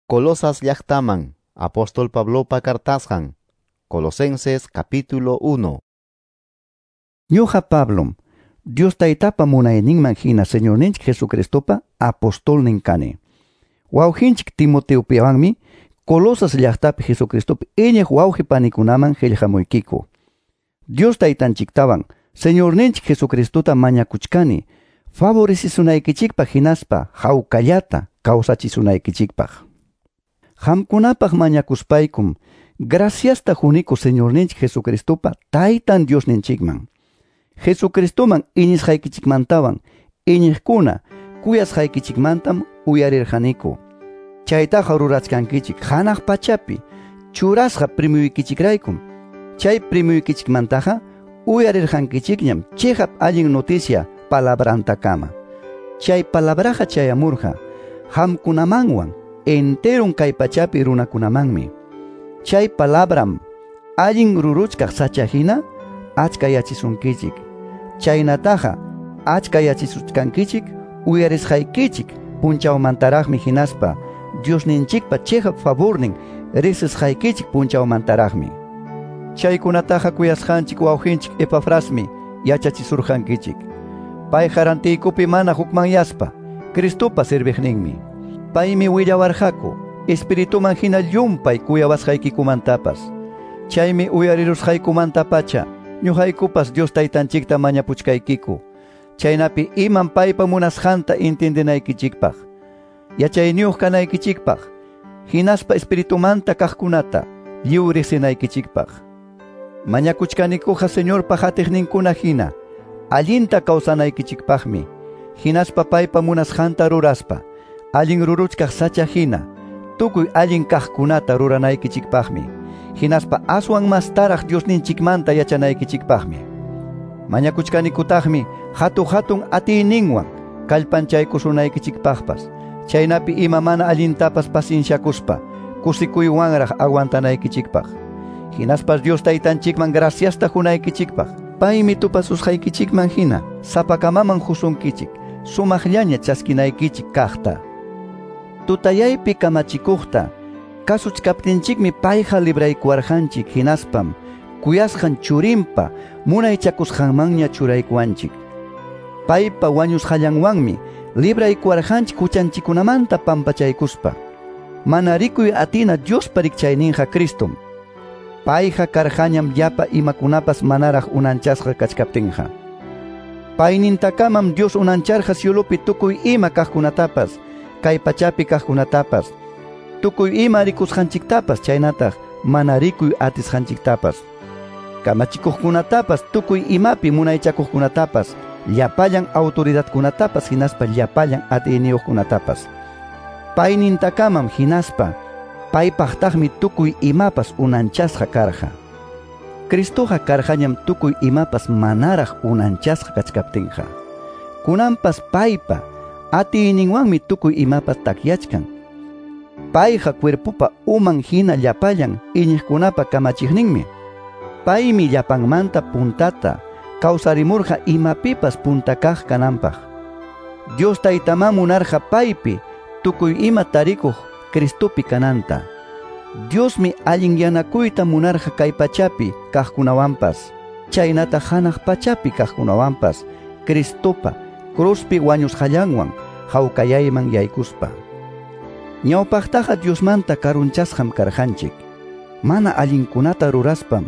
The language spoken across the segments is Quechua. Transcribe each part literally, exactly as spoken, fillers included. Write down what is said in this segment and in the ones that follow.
Colosas llaqtaman, apóstol Pablopa cartasqan, Colosenses capítulo uno. Ñuqa Pablom, Dios Taytapa munayninman hina Señorninchik Jesucristopa apostolnin kani. Wawqinchik Timoteopiwanmi Colosas llaqtapi Jesucristopi iñiq wawqi panikunaman qillqamuykiku. Dios Taytanchiktawan Señorninchik Jesucristota mañakuchkani favorecisunaykichikpaq hinaspa hawkallata kawsachisunaykichikpaq. Qamkunapaq mañakuspaykum graciasta quniku Señorninchik Jesucristopa Taytan Diosninchikman. Jesucristoman iñisqaykichikmantawan iñiqkuna kuyasqaykichikmantam uyarirqaniku. Chaytaqa rurachkankichik hanaq pachapi churasqa primuykichikraykum. Chay primuykichikmantaqa uyarirqankichikñam chiqap allin noticia palabrantakama. Chay palabraqa chayamurqa qamkunamanwan enteron kay pachapi runakunamanmi. Chay palabram allin ruruchkaq sacha hina achkayachisunkichik. Chaynataqa achkayachisuchkankichik uyarisqaykichik punchawmantaraqmi hinaspa Diosninchikpa chiqap favornin riqsisqaykichik punchawmantaraqmi. Chaykunataqa kuyasqanchik wawqinchik Epafrasmi yachachisurqankichik. Payqa rantiykupi mana hukmanyaspa Cristopa serviqninmi. Paymi willawarqaku Espirituman hina llumpay kuyawasqaykikumantapas. Chaymi uyarirusqaykumantapacha ñuqaykupas Dios Taytanchikta mañapuchkaykiku. Chaynapi iman paypa munasqanta entendenaykichikpaq, yachayniyuq kanaykichikpaq, hinaspa Espiritumanta kaqkunata lliw riqsinaykichikpaq. Mañakuchkanikuqa Señorpa qatiqninkuna hina allinta kawsanaykichikpaqmi, hinaspa paypa munasqanta ruraspa allin ruruchkaq sacha hina tukuy allin kaqkunata ruranaykichikpaqmi, hinaspa aswan mastaraq Diosninchikmanta yachanaykichikpaqmi. Mañakuchkanikutaqmi hatu-hatun atiyninwan kallpanchaykusunaykichikpaqpas, chaynapi ima mana allintapas pacienciakuspa kusikuywanraq aguantanaykichikpaq. Hinaspas Dios Taytanchikman graciasta qunaykichikpaq, paymi tupasusqaykichikman hina sapakamaman qusunkichik sumaqllaña chaskinaykichik kaqta. Tutayaypi kamachikuqta kasuchkaptinchikmi payqa libraykuwarqanchik hinaspam kuyasqan churinpa munaychakusqanmanña churaykuwanchik. Paypa wañusqallanwanmi libraykuwarqanchik huchanchikkunamanta pampachaykuspa. Mana rikuy atina Diospa rikchayninqa Cristom. Payqa karqañam llapa imakunapas manaraq unanchasqa kachkaptinqa. Paynintakamam Dios unancharqa cielopi tukuy ima kaqkunatapas, kay pachapi kaqkunatapas, tukuy ima rikusqanchiktapas chaynataq mana rikuy atisqanchiktapas. Kamachikuqkunatapas, tukuy imapi munaychakuqkunatapas, llapallan autoridadkunatapas hinaspa llapallan atiyniyuqkunatapas. Paynintakamam hinaspa paypaqtaqmi tukuy imapas unanchasqa karqa. Cristoqa karqañam tukuy imapas manaraq unanchasqa kachkaptinqa. Kunanpas paypa atiyninwanmi tukuy imapas takyachkan. Payqa cuerpopa uman hina llapallan iñiqkunapa kamachiqninmi. Paymi llapanmanta puntata kawsarimurqa imapipas punta kaq kananpaq. Dios Taytamá munarqa paypi tukuy ima tarikuq Cristopi kananta. Diosmi allinyanakuyta munarqa kay pachapi kaqkunawanpas, chaynata hanaq pachapi kaqkunawanpas, Cristopa cruzpi wañusqallanwan hawkayayman yaykuspa. Ñawpaqtaqa Diosmanta karunchasqam karqanchik. Mana allinkunata ruraspam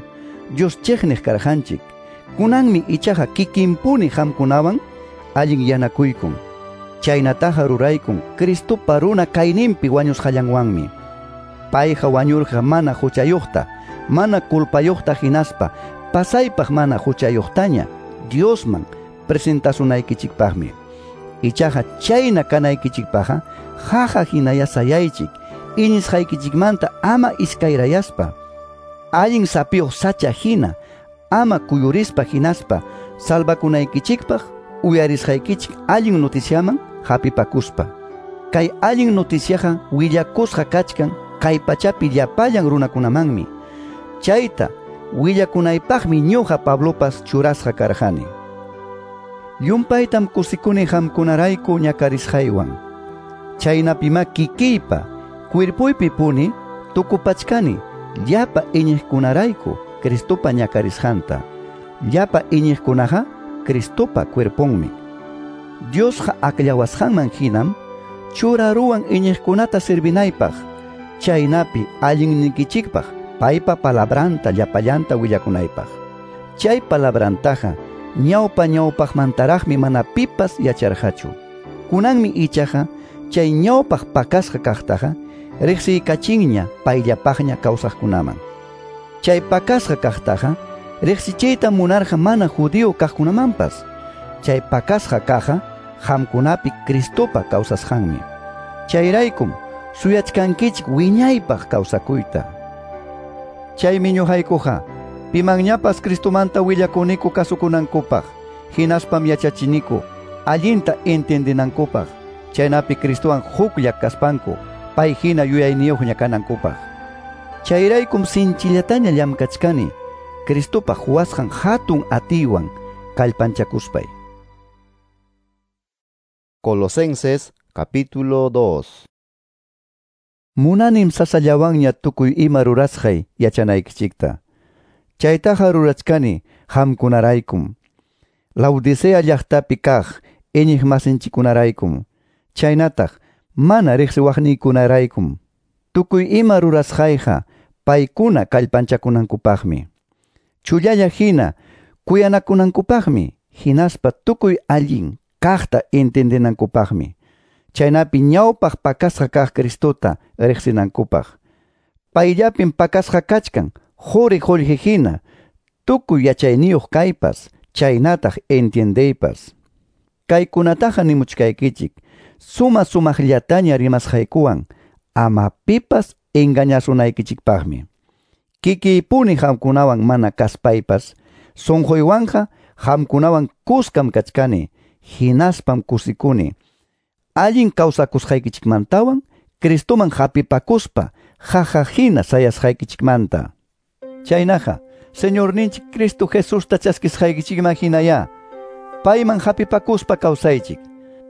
Dios chiqniq karqanchik. Kunanmi ichaqa kikinpuni qamkunawan allinyanakuykun. Chaynataqa ruraykun Cristopa runa kayninpi wañusqallanwanmi. Payqa wañurqa mana huchayuqta, mana culpayuqta hinaspa pasaypaq mana huchayuqtaña Diosman presentasunaykichikpaqmi. Ichaqa chayna kanaykichikpaqqa qaqa hinaya sayaychik iñisqaykichikmanta ama iskayrayaspa, allin sapiyuq sacha hina ama kuyurispa hinaspa salvakunaykichikpaq uyarisqaykichik allin noticiaman hapipakuspa. Kay allin noticiaqa willakusqa kachkan kay pachapi llapallan runakunamanmi. Chayta willakunaypaqmi ñuqa Pablopas churasqa karqani. Llumpaytam kusikuni qamkunarayku ñakarisqaywan. Chaynapima kikiypa Cuerpoypi puni tukupachkani llapa iñiqkunarayku Cristopa ñakarisqanta. Llapa iñiqkunaqa Cristopa cuerponmi. Diosqa akllawasqanman hinam churaruwan iñiqkunata servinaypaq, chaynapi allinnikichikpaq paypa palabranta llapallanta willakunaypaq. Chay palabrantaqa ñawpa ñawpaqmantaraqmi mana pipas yacharqachu. Kunanmi ichaqa chay ñawpaq pakasqa kaqtaqa riqsiykachinña payllapaqña kawsaqkunaman. Chay pakasqa kaqtaqa riqsichiyta munarqa mana judío kaqkunamanpas. Chay pakasqa kaqqa qamkunapi Cristopa kawsasqanmi. Chayraykum suyachkankichik wiñaypaq kawsakuyta. Chaymi ñuqaykuqa pimanñapas Cristomanta willakuniku kasukunankupaq, hinaspam yachachiniku allinta entendinankupaq, chaynapi Cristowan huklla kaspanku pay hina yuyayniyuqña kanankupaq. Chayraykum sinchillataña llamkachkani Cristopa huwasqan hatun atiywan kallpanchakuspay. Colosenses capítulo dos. Munanim sasallawanña tukuy ima rurasqay yachanaykichikta. Chaytaqa rurachkani qamkunaraykum. Laodicea llaqtapi kaq iñiqmasinchikkunaraykum. Chaynataq mana riqsiwaqniykunaraykum. Tukuy ima rurasqayqa paykuna kallpanchakunankupaqmi. Chullalla hina kuyanakunankupaqmi, hinaspa tukuy allin kaqta entendinankupaqmi. Chaynapi ñawpaq pakasqa kaq Cristota riqsinankupaq. Payllapim pakasqa kachkan quri qullqi hina tukuy yachayniyuq kaypas, chaynataq entiendeypas. Kaykunataqa nimuchkaykichik suma sumaqllataña rimasqaykuwan ama pipas engañasunaykichikpaqmi. Kikiypuni qamkunawan mana kaspaypas, sunquywanqa qamkunawan kuskam kachkani, hinaspam kusikuni. Allin kawsakusqaykichikmantawan Cristoman hapipakuspa jaja hina sayasqaykichikmanta. Chaynaqa, Señorninchik Cristo Jesusta chaskisqaykichikman hinaya, payman hapipakuspa kawsaychik,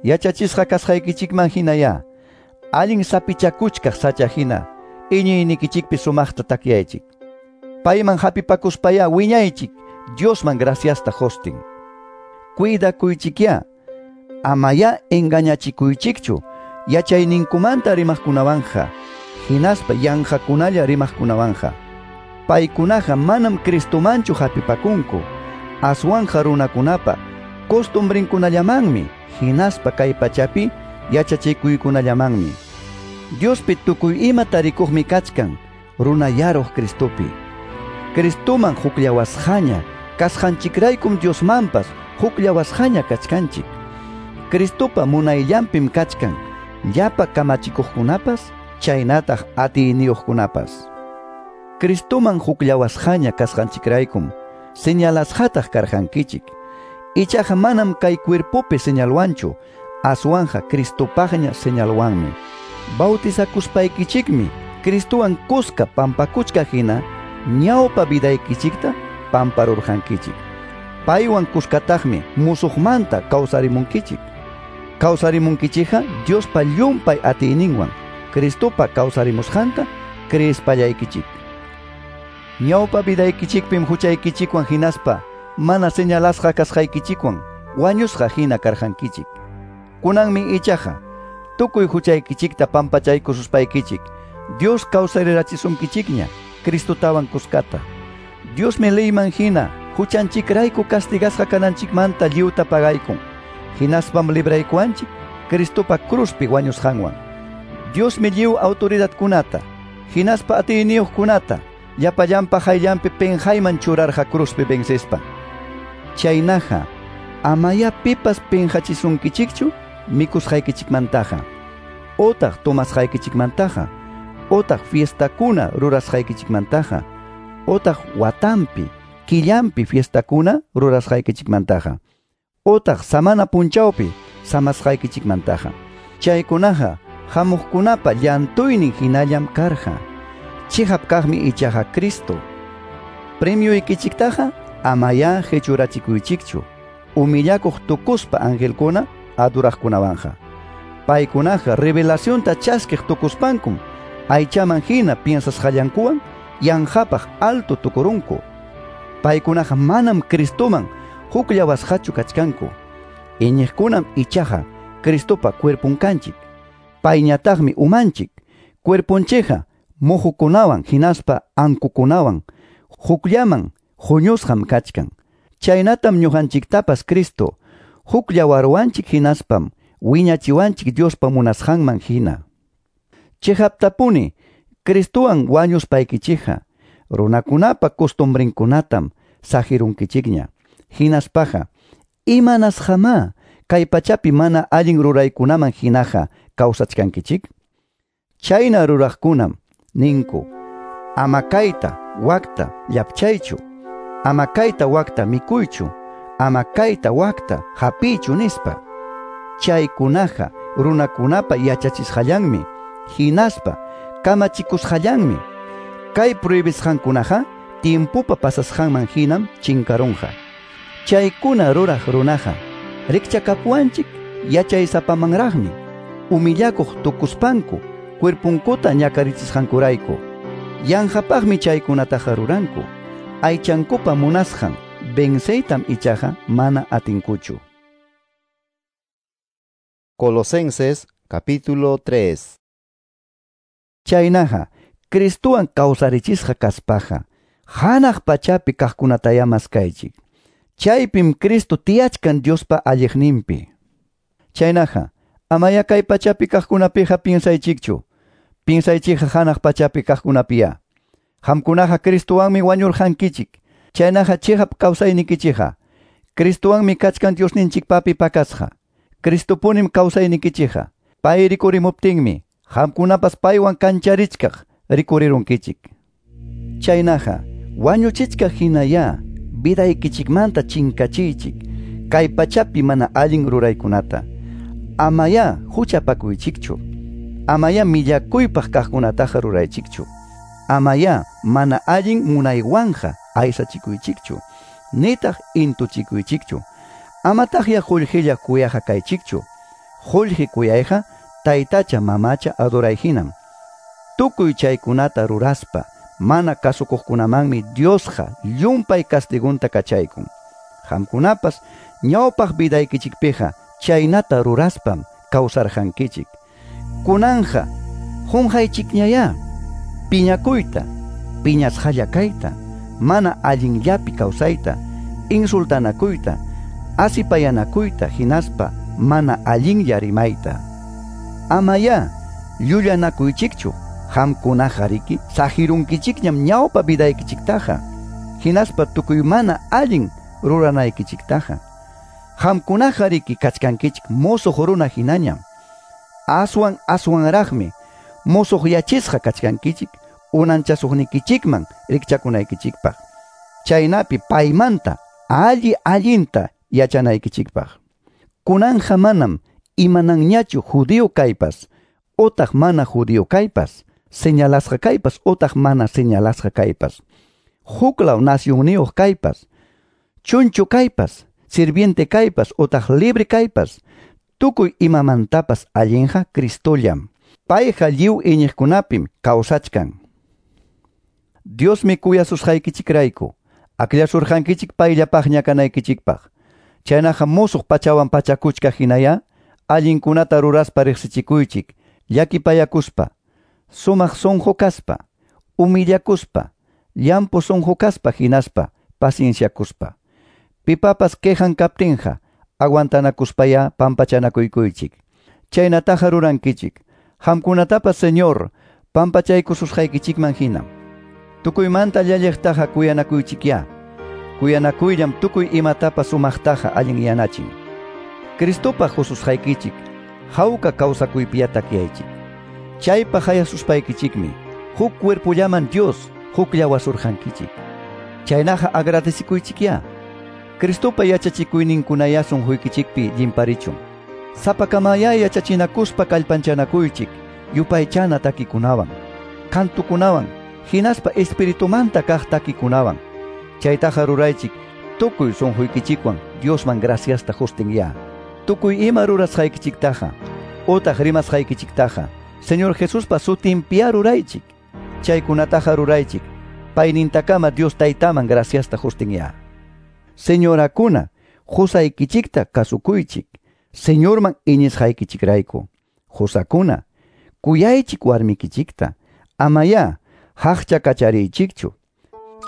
yachachisqa kasqaykichikman hinaya, allin sapichakuchkaq sacha hina, iñiynikichikpi sumaqta takyaychik. Payman hapipakuspaya wiñaychik, Diosman graciasta hostin. Cuidakuychikyá, amaya engañachikuychikchu, yachayninkumanta rimaqkunawanja, hinaspa yanqakunalla rimaqkunawanja. Paykunaqa manam Cristomanchu hapipakunku, aswanja runakunapa costumbrinkunallamanmi, hinaspa kay pachapi yachachikuykunallamanmi. Diospi tukuy ima tarikuqmi kachkan, runayaruq Cristopi. Cristoman hukllawasqaña, kasqanchikraykum Diosmanpas hukllawasqaña kachkanchik. Cristopa munayllanpim kachkan, llapa kamachikuqkunapas, chaynataq atiyniyuqkunapas. Cristoman hukllawasqaña kasqanchikraykum, señalasqataq karqankichik. Ichaqa manam kay cuerpopi señalwanchu, aswanja Cristopaqña señalwanmi. Bautizakuspaykichikmi Cristowan kuska pampakuchka hina ñawpa vidaykichikta pamparurqankichik. Paywan kuskataqmi musuqmanta kawsarimunkichik. Kawsarimunkichikqa Diospa llumpay atiyninwan Cristopa kawsarimusqanta creespallaykichik. Ñawpa vidaykichikpim huchaykichikwan hinaspa mana señalasqa kasqaykichikwan wañusqa hina karqankichik. Kunanmi ichaqa tukuy huchaykichikta pampachaykususpaykichik Dios kawsarirachisunkichikña Cristotawan kuskata. Diosmi leyman hina huchanchikrayku castigasqa kananchikmanta lliwta pagaykun. Hinaspam libraykuanchik Cristopa cruzpi wañusqanwan. Diosmi lliw autoridadkunata, hinaspa atiyniyuqkunata llapallanpa hayllanpi penqayman churarqa cruzpi vencespa. Chaynaqa, amaya pipas penqachisunkichikchu mikusqaykichikmantaqa, otaq tomasqaykichikmantaqa, otaq fiestakuna rurasqaykichikmantaqa, otaq watampi, killampi fiestakuna rurasqaykichikmantaqa, otaq samana punchawpi samasqaykichikmantaqa. Chaykunaqa hamuqkunapa llantuynin hinallam karqa. Chihap kaqmi ichaqa Cristo. Premioykichiktaqa amaya hechurachikuychikchu, humillakuq tukuspa angelkuna aduraqkunawanja. Paykunaqa revelacionta chaskiq tukuspankum Aychaman hina piensasqallankuwan yanqapaq alto tukurunku. Paykunaqa manam Cristoman hukllawasqachu kachkanku. Iñiqkunam ichaqa Cristopa cuerpon kanchik. Payñataqmi umanchik. Cuerponchikqa muhukunawan hinaspa ankukunawan hukllaman huñusqam kachkan. Chaynatam ñuqanchiktapas Cristo hukllawaruwanchik hinaspam wiñachiwanchik Diospa munasqanman hina. Chiqaptapuni Cristowan wañuspaykichikqa runakunapa costumbrinkunatam saqirunkichikña. Hinaspaqa imanasqamá kay pachapi mana allin ruraykunaman hinaqa kawsachkankichik? Chayna ruraqkunam ninku: ama kayta wakta llapchaychu, ama kayta wakta mikuychu, ama kayta wakta hapiychu nispa. Chaykunaqa runakunapa yachachisqallanmi, hinaspa kamachikusqallanmi. Kay prohibisqankunaqa tiempopa pasasqanman hinam chinkarunqa. Chaykuna ruraq runaqa rikchakapuwanchik yachaysapamanraqmi, humillakuq tukuspanku cuerpunkuta ñakarichisqankurayku. Yanqapaqmi chaykunataqa ruranku. Aychankupa munasqan venceytam ichaqa mana atinkuchu. Colosenses capítulo tres. Chaynaqa Cristowan kawsarichisqa kaspaqa hanaq pachapi kaqkunataya maskaychik. Chaypim Cristo tiyachkan Diospa alliqninpi. Chaynaqa amaya kay pachapi kaqkunapiqa piensaychikchu. Piensaychikqa hanaq pachapi kaqkunapiya. Qamkunaqa Cristowanmi wañurqankichik. Chaynaqa chiqap kawsaynikichikqa Cristowanmi kachkan Diosninchikpapi pakasqa. Cristopunim kawsaynikichikqa. Pay rikurimuptinmi qamkunapas paywan kancharichkaq rikurirunkichik. Chaynaqa wañuchichkaq hinaya vidaykichikmanta chinkachiychik kay pachapi mana allin ruraykunata. Amaya huchapakuychikchu. Amaya millakuypaq kaqkunataqa ruraychikchu. Amaya mana allin munaywanja aysachikuychikchu. Nitaq intuchikuychikchu. Amataqya qullqilla kuyaqa kaychikchu. Qullqi kuyayqa taytacha mamacha adorayhinam. Tukuy chaykunata ruraspa mana kasukuqkunamanmi Diosqa llumpay castigunta kachaykun. Qamkunapas ñawpaq vidaykichikpiqa chaynata ruraspam kawsarqankichik. Kunanja qunqaychikñayá piñakuyta, piñasqalla kayta, mana allinllapi kawsayta, insultanakuyta, asipayanakuyta hinaspa mana allinlla rimayta. Amaya llullanakuychikchu. Qamkunaqa riki saqirunkichikñam ñawpa vidaykichiktaqa hinaspa tukuy mana allin ruranaykichiktaqa. Qamkunaqa riki kachkankichik musuq runa hinañam. Aswan aswanraqmi musuqyachisqa kachkankichik unanchasuqnikichikman rikchakunaykichikpaq. Chaynapi paymanta alli allinta yachanaykichikpaq. Kunanja manam imananñachu judío kaypas otaq mana judío kaypas, señalasqa kaypas otaq mana señalasqa kaypas, huklaw nacionniyuq kaypas, chunchu kaypas, sirviente kaypas otaq libre kaypas, tukuy imamantapas allinqa Cristollam. Payqa lliw iñiqkunapim kawsachkan. Diosmi kuyasusqaykichikrayku akllasurqankichik payllapaqña kanaykichikpaq. Chaynaqa musuq pachawan pachakuchkaq hinaya allinkunata ruraspa riqsichikuychik, llakipayakuspa, sumaq sunqu kaspa, humillakuspa, llampu sunqu kaspa hinaspa pacienciakuspa. Pipapas quejan kaptinqa aguantanakuspaya pampachanakuykuychik. Chaynataqa rurankichik. Qamkunatapas Señor pampachaykususqaykichikman hina. Tukuymanta llalliqtaqa kuyanakuychikya. Kuyanakuyllam tukuy imatapas sumaqtaqa allinyanachin. Cristopaq hususqaykichik hawka kawsakuypiya takyaychik. Chaypaq hayasuspaykichikmi huk cuerpollaman Dios hukllawasurqankichik. Chaynaqa agradecikuychikya. Cristopa yachachikuyninkunaya sunquykichikpi llimparichun. Sapakamaya yachachinakuspa kallpanchanakuychik yupaychana takikunawan, kantukunawan, hinaspa espiritumanta kaq takikunawan. Chaytaqa ruraychik tukuy sunquykichikwan Diosman graciasta hustinya. Tukuy ima rurasqaykichiktaqa otaq rimasqaykichiktaqa Señor Jesuspa sutinpiya ruraychik. Chaykunataqa ruraychik. Paynintakama Dios Taytaman graciasta hustinya. Señorakuna, qusaykichikta kasukuychik. Señorman iñisqaykichikrayku. Qusakuna, kuyaychik warmikichikta. Amaya haqcha kachariychikchu.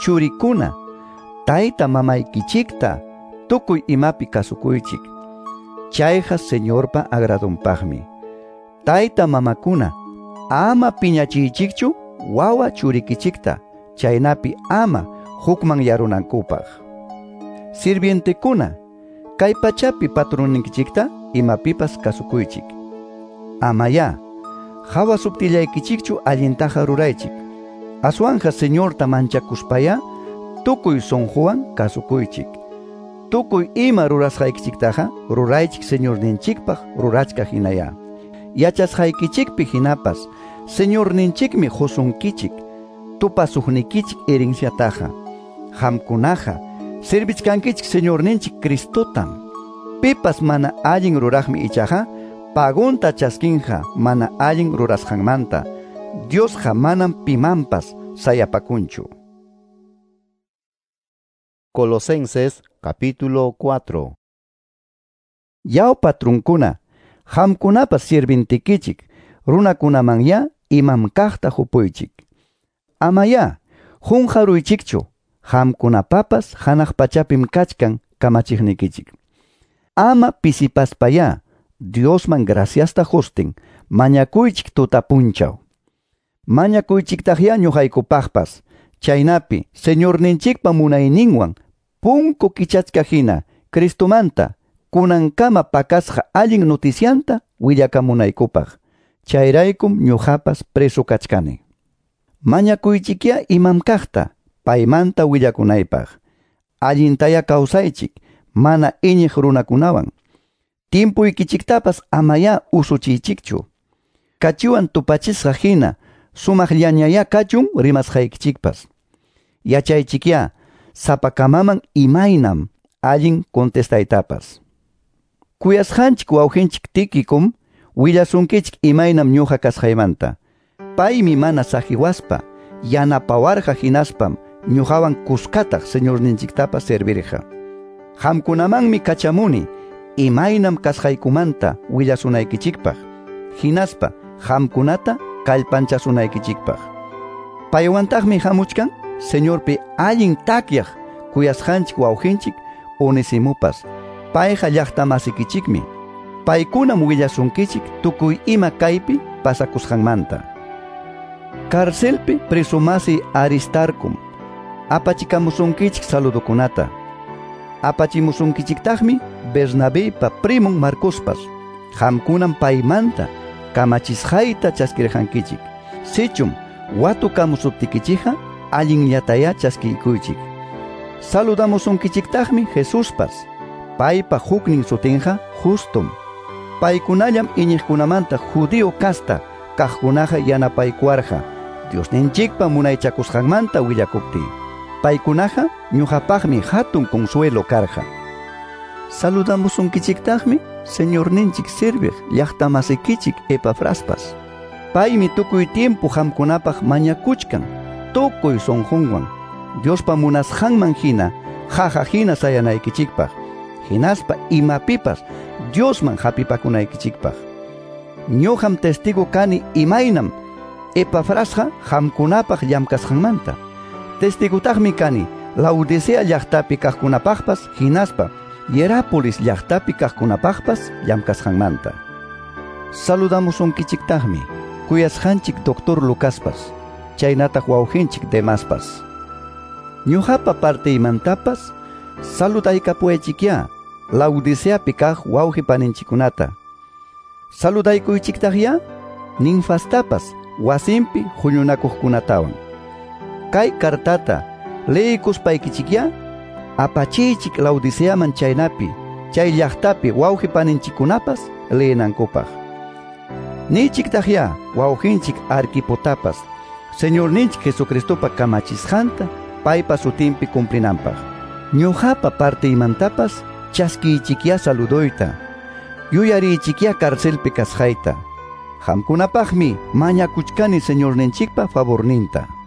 Churikuna, tayta mamaykichikta tukuy imapi kasukuychik. Chayqa Señorpa agradunpaqmi. Tayta mamakuna, ama piñachiychikchu wawa churikichikta, chaynapi ama hukmanyarunankupaq. Sirvientekuna, kay pachapi patronninkichikta imapipas kasukuychik. Amaya hawasuptillaykichikchu allintaqa ruraychik. Aswanja Señorta manchakuspaya tukuy sunquwan kasukuychik. Tukuy ima rurasqaykichiktaqa ruraychik Señorninchikpaq rurachkaq hinaya. Yachasqaykichikpi hinapas Señorninchikmi qusunkichik tupasuqnikichik herenciataqa. Qamkunaqa servichkankichik Señorninchik Cristotam. Pipas mana allin ruraqmi ichaqa pagunta chaskinqa mana allin rurasqanmanta. Diosqa manam pimanpas sayapakunchu. Colosenses capítulo cuatro. Yaw patrunkuna, qamkunapas sirvintikichik, runakunamanya imam kaqta hupuychik. Amaya qunqaruychikchu, qamkunapapas hanaq pachapim kachkan kamachiqnikichik. Ama pisipaspaya Diosman graciasta hustin, mañakuychik tuta punchaw. Mañakuychiktaqya ñuqaykupaqpas, chaynapi Señorninchikpa munayninwan punku kichachka hina Cristomanta kunankama pakasqa allin noticianta willakamunaykupaq. Chayraykum ñuqapas preso kachkani. Mañakuychikya imam kaqta paymanta willakunaypaq. Allintaya kawsaychik mana iñiq runakunawan. Timpuykichiktapas amaya usuchiychikchu. Kachiwan tupachisqa hina sumaqllañaya kachun rimasqaykichikpas. Yachaychikya sapakamaman imaynam allin contestaytapas. Kuyasqanchik wawqinchik Tíquikom willasunkichik imaynam ñuqa kasqaymanta. Paymi mana saqiwaspa yanapawarqa hinaspam ñuqawan kuskataq Señorninchiktapas servirqa. Qamkunamanmi kachamuni imaynam kasqaykumanta willasunaykichikpaq, hinaspa qamkunata kallpanchasunaykichikpaq. Paywantaqmi hamuchkan Señorpi allin takyaq kuyasqanchik wawqinchik Onesimupas. Payqa llaqtamasikichikmi. Paykunam willasunkichik tukuy ima kaypi pasakusqanmanta. Carcelpi presumasi Aristarcum apachikamusunkichik saludukunata. Apachimusunkichiktaqmi Bernabépa primon Marcospas. Qamkunam paymanta kamachisqayta chaskirqankichik. Sichum watukamusuptikichikqa allinllataya chaskiykuychik. Saludamusunkichiktaqmi Jesuspas. Paypa huknin sutinqa Justum. Paykunallam iñiqkunamanta judío kasta kaqkunaqa yanapaykuwarqa Diosninchikpa munaychakusqanmanta willakuptiy. Paykunaqa ñuqapaqmi hatun consuelo karqa. Saludamusunkichiktaqmi Señorninchik serviq llaqtamasikichik Epafraspas. Paymi tukuy tiempo qamkunapaq mañakuchkan tukuy sunqunwan Diospa munasqanman hina qaqa hina sayanaykichikpaq, hinaspa imapipas Diosman hapipakunaykichikpaq. Ñuqam testigo kani imaynam Epafrasqa qamkunapaq llamkasqanmanta. Testigotaqmi kani Laodicea llaqtapi kaqkunapaqpas hinaspa Hierápolis llaqtapi kaqkunapaqpas llamkasqanmanta. Saludamusunkichiktaqmi kuyasqanchik doctor Lucaspas, chaynataq wawqinchik Demaspas. Ñuqapa partiymantapas saludaykapuwaychikyá Laodiceapi kaq wawqi paninchikkunata. Saludaykuychiktaqyá Ninfastapas wasinpi huñunakuqkunatawan. Kay kartata leykuspaykichikyá apachiychik Laodiceaman chaynapi chay llaqtapi wawqi paninchikkunapas leenankupaq. Nichiktaqyá wawqinchik Arquipotapas Señorninchik Jesucristopa kamachisqanta paypa sutinpi cumplinanpaq. Ñuqapa partiymantapas chaskiychikyá saludoyta, yuyariychikyá carcelpi kasqayta. Qamkunapaqmi mañakuchkani Señorninchikpa favorninta.